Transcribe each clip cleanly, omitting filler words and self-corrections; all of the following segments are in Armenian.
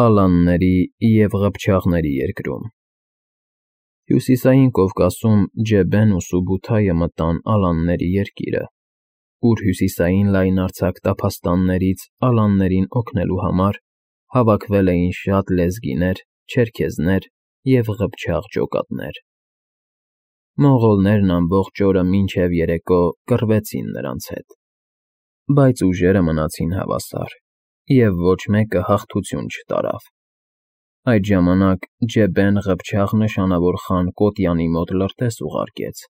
Ալանների և Ղփչաղների երկրում։ Հյուսիսային Կովկասում Ջեբեն ու Սուբութայը մտան Ալանների երկիրը, ուր հյուսիսային լայնարձակ տափաստաններից ալաններին օգնելու համար հավաքվել էին շատ լեզգիներ, չերքեզներ և Ղփչաղ ջոկատներ։ Մոնղոլներն ամբողջ օրը մինչև երեկո կռվեցին նրանց հետ, բայց ուժերը մնացին հավասար, և ոչ մեկը հաղթություն չտարավ։ Այդ ժամանակ Ջեբեն Ղփչաղ նշանավոր խան Կոտյանի մոտ լրտես ուղարկեց,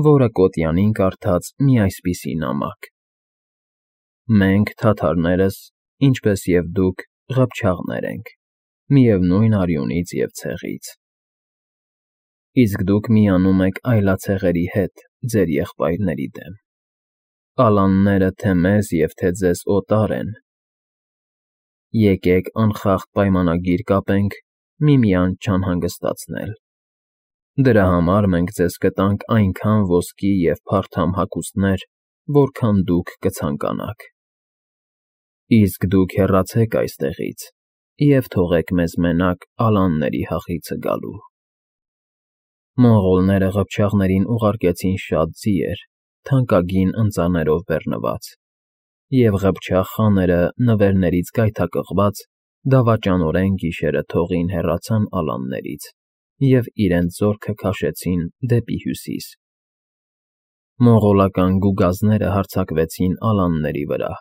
որը Կոտյանին կարդաց մի այսպիսի նամակ. «Մենք, թաթարներս, ինչպես և դուք, Ղփչաղներ ենք, միևնույն արյունից և ցեղից։ Իսկ դուք միանում եք այլացեղերի հետ ձեր եղբայրների դեմ։ Ալանները թե մեզ և թե ձեզ օտար են։ Եկեք անխախտ պայմանագիր կապենք միմյանց չանհանգստացնել։ Դրա համար մենք ձեզ կտանք այնքան ոսկի և փարթամ հագուստներ, որքան դուք կցանկանաք։ Իսկ դուք հեռացեք այստեղից և թողեք մեզ մենակ ալանների հախիցը գալու»։ Մոնղոլները Ղփչաղներին ուղարկեցին շատ ձիեր, թանկագին ընծաներով բեռնված, և Ղփչաղ խաները նվերներից գայթակղված դավաճանորեն գիշերը թողին հեռացան ալաններից և իրենց զորքը քաշեցին դեպի հյուսիս։ Մոնղոլական գուգազները հարձակվեցին ալանների վրա,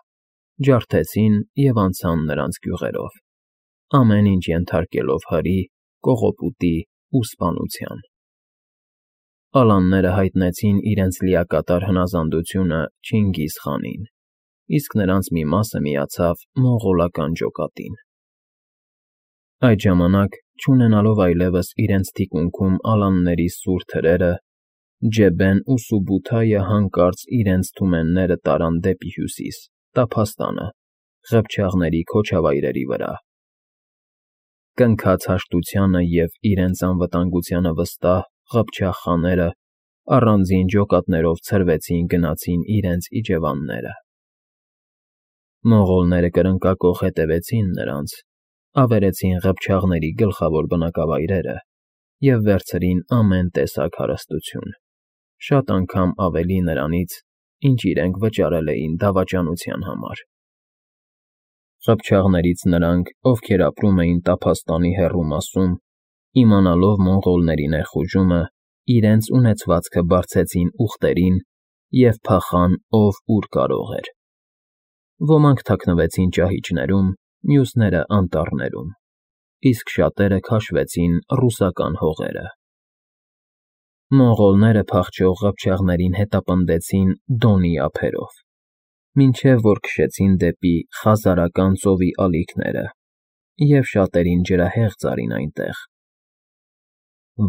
ջարդեցին և անցան նրանց գյուղերով, ամեն ինչ ենթարկելով հրի, կողոպուտի ու սպանության։ Ալանները հայտնեցին իրենց լիակատար հնազանդությունը Չինգիզ խանին, իսկ նրանց մի մասը միացավ մոնղոլական ջոկատին։ Այդ ժամանակ, չունենալով այլևս իրենց թիկունքում ալանների սուր թրերը, Ջեբեն ու Սուբութայը հանկարծ իրենց թումենները տարան դեպի հյուսիս, տափաստանը, Ղփչաղների քոչավայրերի վրա։ Կնքած հաշտությանը և իրենց անվտանգությանը վստահ Ղփչաղ խաները առանձին ջոկատներով ցրվեցին գնացին իրենց իջևանները։ Մոնղոլները կրնկակոխ հետևեցին նրանց, ավերեցին Ղփչաղների գլխավոր բնակավայրերը և վերցրին ամեն տեսակ հարստություն, շատ անգամ ավելի նրանից, ինչ իրենք վճարել էին դավաճանության համար։ Ղփչաղներից նրանք, ովքեր ապրում էին տափաստանի հեռու մասում, իմանալով մոնղոլների ներխուժումը, իրենց ունեցվածքը բարձեցին ուղտերին և փախան ով ուր կարող էր։ Ոմանք թաքնվեցին ճահիճներում, մյուսները անտառներում, իսկ շատերը քաշվեցին ռուսական հողերը։ Մոնղոլները փախչող Ղփչաղներին հետապնդեցին Դոնի ափերով, մինչև որ քշեցին դեպի Խազարական ծովի ալիքները և շատերին ջրահեղձ արին այնտեղ։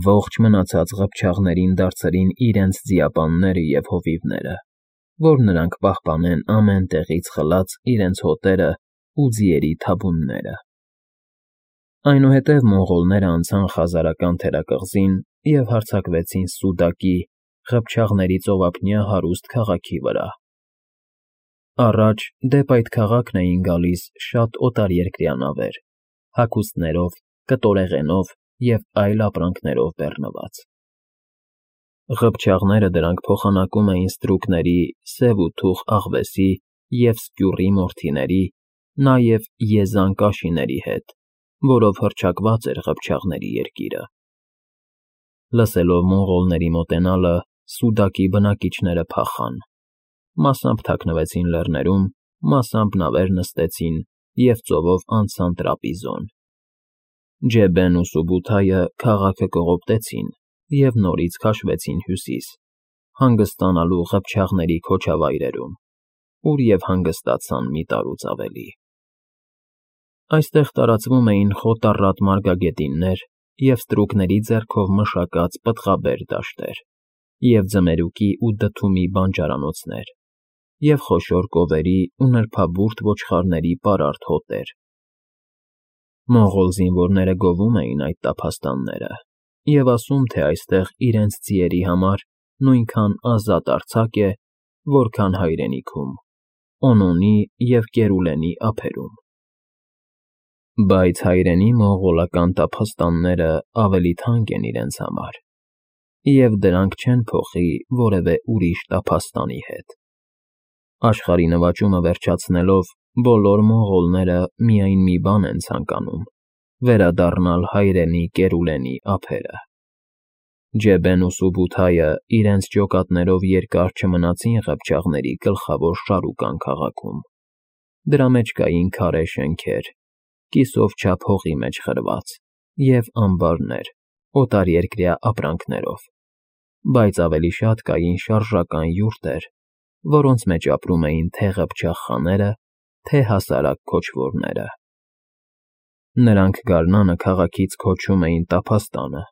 Ողջ մնացած Ղփչաղներին դարձրին իրենց ձիապանները և հովիվները, որ նրանք պահպանեն ամեն տեղից խլած իրենց հոտերն ու ձիերի թաբունները։ Այնուհետև մոնղոլները անցան Խազարական թերակղզին և հարձակվեցին Սուդակի, Ղփչաղների ծովափնյա հարուստ քաղաքի վրա։ Առաջ դեպ այդ քաղաքն էին գալիս շատ օտարերկրյա նավեր, հագուստներով, կտորեղենով և այլ ապրանքներով բեռնված։ Ղփչաղները դրանք փոխանակում էին ստրուկների, սև ու թուխ աղվեսի և սկյուռի մորթիների, նաև եզան կաշիների հետ, որով հռչակված էր Ղփչաղների երկիրը։ Լսելով մոնղոլների մոտենալը, Սուդակի բնակիչները փախան, մասամբ թաքնվեցին լեռներում, մասամբ նավեր նստեցին և ծովով անցան Տրապիզոն։ Ջեբեն ու Սուբութայը քաղաքը կողոպտեցին և նորից քաշվեցին հյուսիս, հանգստանալու Ղփչաղների քոչավայրերում, ուր և հանգստացան մի տարուց ավելի։ Այստեղ տարածվում էին խոտառատ մարգագետիններ և ստրուկների ձեռքով մշակած պտղաբեր դաշտեր, և ձմերուկի ու դդումի բանջարանոցներ, և խոշոր կովերի ու նրբաբուրդ ոչխարների պարարտ հոտեր։ Մոնղոլ զինվորները գովում էին այդ տափաստանները և ասում, թե այստեղ իրենց ձիերի համար նույնքան ազատ արձակ է, որքան հայրենիքում՝ Օնոնի և Կերուլենի ափերում։ Բայց հայրենի մոնղոլական տափաստանները ավելի թանկ են իրենց համար, և դրանք չեն փոխի որևէ ուրիշ տափաստանի հետ։ Աշխարհի նվաճումը վերջացնելով, բոլոր մոնղոլները միայն մի բան են ցանկանում՝ վերադառնալ հայրենի Կերուլենի ափերը։ Ջեբեն ու Սուբութայը իրենց ջոկատներով երկար չմնացին Ղփչաղների գլխավոր Շարուկան քաղաքում։ Դրա մեջ կային քարե շենքեր, կիսով չափ հողի մեջ խրված, և ամբարներ, օտարերկրյա ապրանքներով, բայց ավելի շատ կային շարժական յուրտեր, որոնց մեջ ապրում էին թե ղփչաղ խաները, թե հասարակ քոչվորները։ Նրանք գարնանը քաղաքից քոչում էին տափաստանը,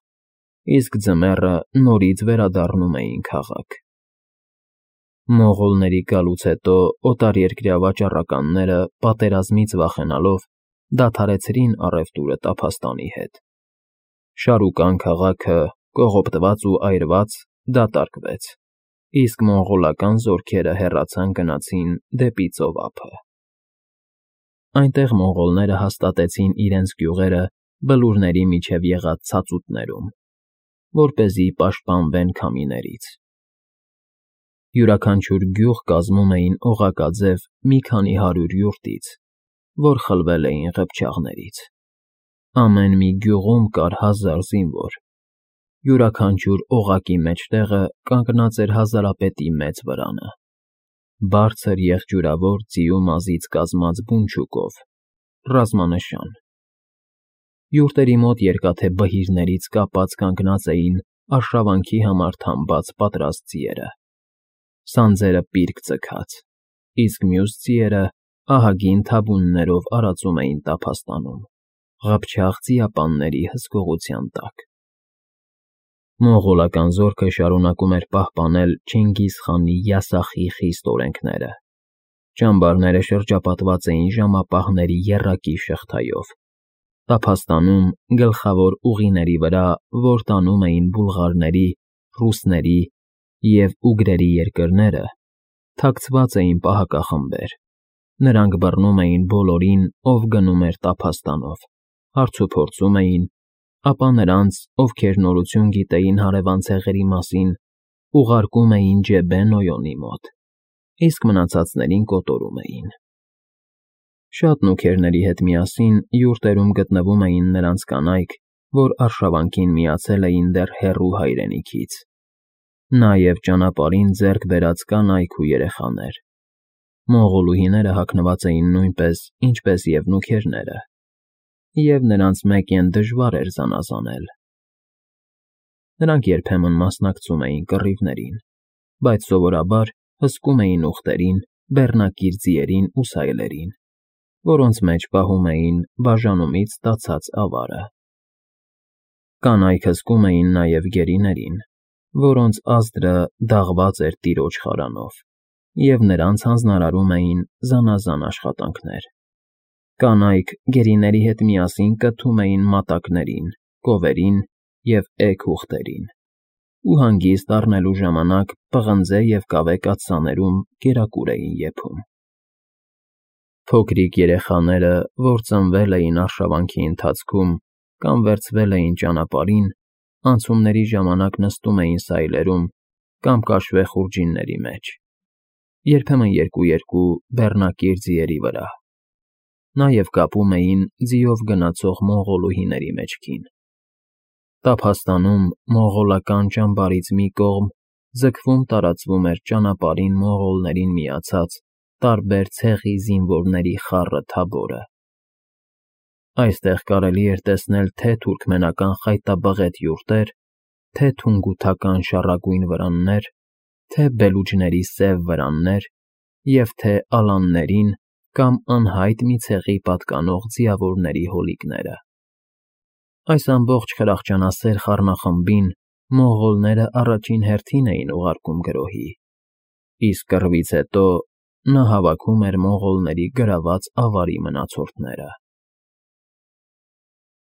իսկ ձմեռը նորից վերադառնում էին քաղաք։ Մոնղոլների գալուց հետո օտարերկրյա վաճառականները, պատերազմից վախենալով, դադարեցրին առևտուրը տափաստանի հետ։ Շարուկան քաղաքը, կողոպտված ու այրված, դատարկվեց, իսկ մոնղոլական զորքերը հեռացան գնացին դեպի ծովափը։ Այնտեղ մոնղոլները հաստատեցին իրենց գյուղերը բլուրների միջև եղած ցածուտներում, որպեսզի պաշտպանվեն քամիներից։ Յուրաքանչյուր գյուղ կազմում էին օղակաձև մի քանի հարյուր յուրտից, որ խլվել էին ղփչաղներից։ Ամեն մի գյուղում կար 1000 զինվոր։ Յուրաքանչյուր օղակի մեջտեղը կանգնած էր հազարապետի մեծ վրանը, բարձր եղջյուրավոր ձիու մազից կազմած բունչուկով, ռազմանշան։ Յուրտերի մոտ երկաթե բհիրներից կապած կանգնած էին արշավանքի համար թամբած պատրաստ ձիերը, սանձերը պիրկ ձգած, իսկ մյուս ձիերը ահագին թավուններով արածում էին տափաստանում, ղփչաղ ձիապանների հսկողության տակ։ Մոնղոլական զորքը շարունակում էր պահպանել Չինգիզ խանի յասախի խիստ օրենքները։ Ճամբարները շրջապատված էին ժամապահների եռակի շղթայով։ Տափաստանում, գլխավոր ուղիների վրա, որ տանում էին բուլղարների, ռուսների և ուգրերի երկրները, թաքցված էին պահակախմբեր։ Նրանք բռնում էին բոլորին, ով գնում էր տափաստանով, հարցուփորձում էին, ապա նրանց, ովքեր նորություն գիտեին հարևան ցեղերի մասին, ուղարկում էին Ջեբեն Օյոնի մոտ, իսկ մնացածներին կոտորում էին։ Շատ նուքերների հետ միասին յուրտերում գտնվում էին նրանց կանայք, որ արշավանքին միացել էին դեռ հեռու հայրենիքից, նաև ճանապարհին ձեռք բերած կանայք ու երեխաներ։ Մոնղոլուհիները հագնված էին նույնպես, ինչպես և նուքերները, և նրանց մեկեն դժվար էր զանազանել։ Նրանք երբեմն մասնակցում էին կռիվներին, բայց սովորաբար հսկում էին ուղտերին, բեռնակիր ձիերին ու սայլերին, որոնց մեջ պահում էին բաժանումից ստացած ավարը։ Կանայք հսկում էին նաև գերիներին, որոնց ազդրը դաղված էր տիրոջ խարանով, և նրանց հանձնարարում էին զանազան աշխատանքներ։ Կանայք գերիների հետ միասին կթում էին մատակներին, կովերին և էգ ուղտերին, ու հանգիստ առնելու ժամանակ պղնձե և կավե կաթսաներում կերակուր էին եփում։ Փոքրիկ երեխաները, որ ծնվել էին արշավանքի ընթացքում կամ վերցվել էին ճանապարհին, անցումների ժամանակ նստում էին սայլերում կամ կաշվե խուրջինների մեջ, երբեմն երկու բեռնակիր ձիերի վրա, նաև կապում էին ձիով գնացող մոնղոլուհիների մեջքին։ Տափաստանում մոնղոլական ճամբարից մի կողմ ձգվում տարածվում էր ճանապարհին մոնղոլներին միացած տարբեր ցեղի զինվորների խառը թաբորը։ Այստեղ կարելի էր տեսնել թե թուրքմենական խայտաբղետ յուրտեր, թե թունգութական շառագույն վրաններ, թե բելուջների սև վրաններ և թե ալաններին կամ անհայտ մի ցեղի պատկանող ձիավորների հոլիկները։ Այս ամբողջ խրախճանասեր խառնախմբին մոնղոլները առաջին հերթին էին ուղարկում գրոհի, իսկ կռվից հետո նա հավաքում էր մոնղոլների գրաված ավարի մնացորդները։